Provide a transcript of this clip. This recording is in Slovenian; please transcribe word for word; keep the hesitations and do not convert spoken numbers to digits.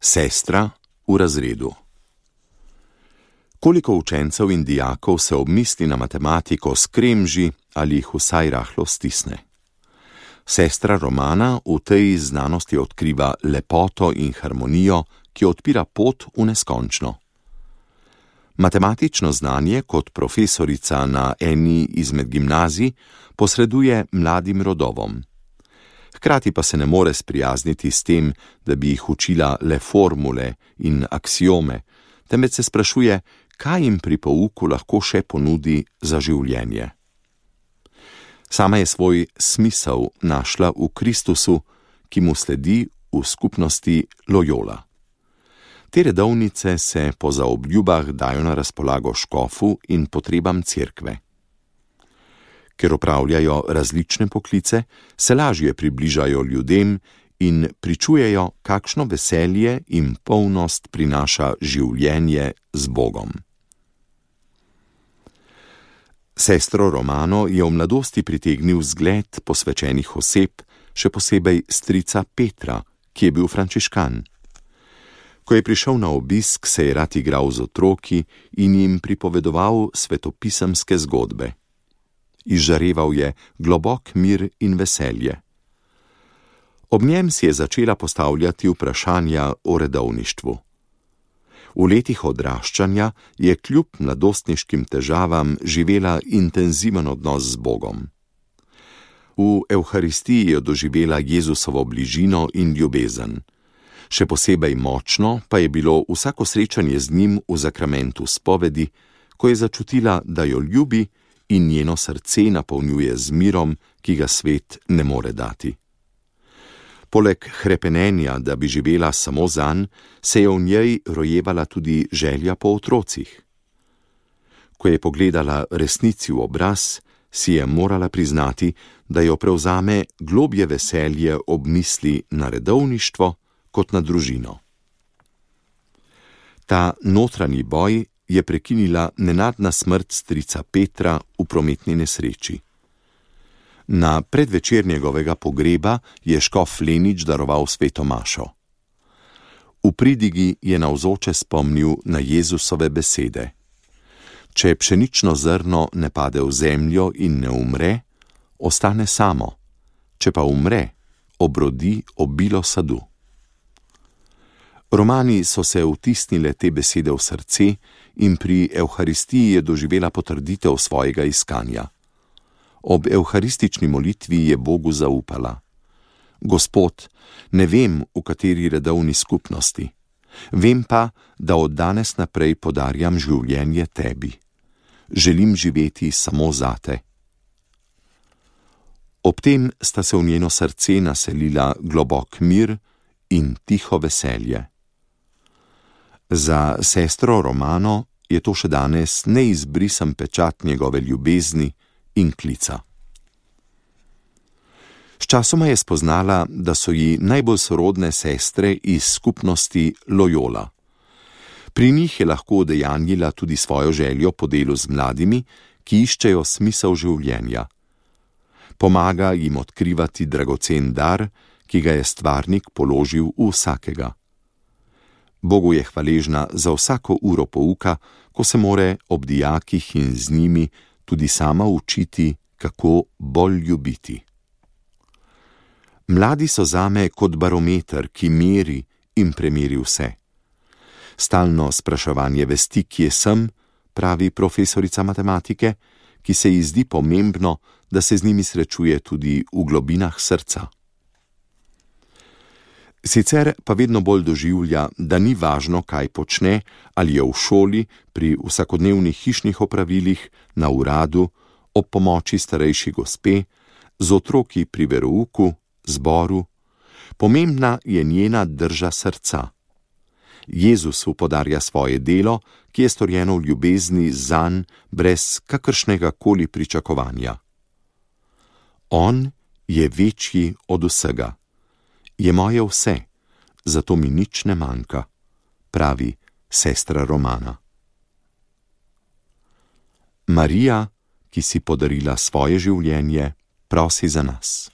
Sestra v razredu. Koliko učencev in dijakov se ob misli na matematiko skremži ali jih vsaj rahlo stisne? Sestra Romana v tej znanosti odkriva lepoto in harmonijo, ki odpira pot v neskončno. Matematično znanje kot profesorica na eni izmed gimnazij posreduje mladim rodovom. Hkrati pa se ne more sprijazniti s tem, da bi jih učila le formule in aksiome, temveč se sprašuje, kaj jim pri pouku lahko še ponudi za življenje. Sama je svoj smisel našla v Kristusu, ki mu sledi v skupnosti Loyola. Te redovnice se po zaobljubah dajo na razpolago škofu in potrebam cerkve. Ker opravljajo različne poklice, se lažje približajo ljudem in pričujejo, kakšno veselje in polnost prinaša življenje z Bogom. Sestro Romano je v mladosti pritegnil vzgled posvečenih oseb, še posebej strica Petra, ki je bil frančiškan. Ko je prišel na obisk, se je rad igral z otroki in jim pripovedoval svetopisemske zgodbe. Izžareval je globok mir in veselje. Ob njem si je začela postavljati vprašanja o redovništvu. V letih odraščanja je kljub mladostniškim težavam živela intenziven odnos z Bogom. V Evharistiji je doživela Jezusovo bližino in ljubezen. Še posebej močno pa je bilo vsako srečanje z njim v zakramentu spovedi, ko je začutila, da jo ljubi in njeno srce napolnjuje z mirom, ki ga svet ne more dati. Poleg hrepenenja, da bi živela samo zanj, se je v njej rojevala tudi želja po otrocih. Ko je pogledala resnici v obraz, si je morala priznati, da jo prevzame globje veselje ob misli na redovništvo kot na družino. Ta notranji boj je prekinila nenadna smrt strica Petra v prometni nesreči. Na predvečer njegovega pogreba je škof Lenič daroval sveto mašo. V pridigi je navzoče spomnil na Jezusove besede. Če pšenično zrno ne pade v zemljo in ne umre, ostane samo, če pa umre, obrodi obilo sadu. Romani so se vtisnile te besede v srce in pri Evharistiji je doživela potrditev svojega iskanja. Ob evharistični molitvi je Bogu zaupala. Gospod, ne vem, v kateri redovni skupnosti. Vem pa, da od danes naprej podarjam življenje tebi. Želim živeti samo zate. Ob tem sta se v njeno srce naselila globok mir in tiho veselje. Za sestro Romano je to še danes neizbrisen pečat njegove ljubezni in klica. Sčasoma je spoznala, da so ji najbolj sorodne sestre iz skupnosti Loyola. Pri njih je lahko udejanjila tudi svojo željo po delu z mladimi, ki iščejo smisel življenja. Pomaga jim odkrivati dragocen dar, ki ga je stvarnik položil v vsakega. Bogu je hvaležna za vsako uro pouka, ko se more ob dijakih in z njimi tudi sama učiti, kako bolj ljubiti. Mladi so zame kot barometer, ki meri in premeri vse. Stalno spraševanje vesti, kje sem, pravi profesorica matematike, ki se ji zdi pomembno, da se z njimi srečuje tudi v globinah srca. Sicer pa vedno bolj doživlja, da ni važno, kaj počne, ali je v šoli, pri vsakodnevnih hišnih opravilih, na uradu, ob pomoči starejši gospe, z otroki pri verouku, zboru. Pomembna je njena drža srca. Jezusu podarja svoje delo, ki je storjeno v ljubezni zanj, brez kakršnega koli pričakovanja. On je večji od vsega. Je moje vse, zato mi nič ne manjka, pravi sestra Romana. Marija, ki si podarila svoje življenje, prosi za nas.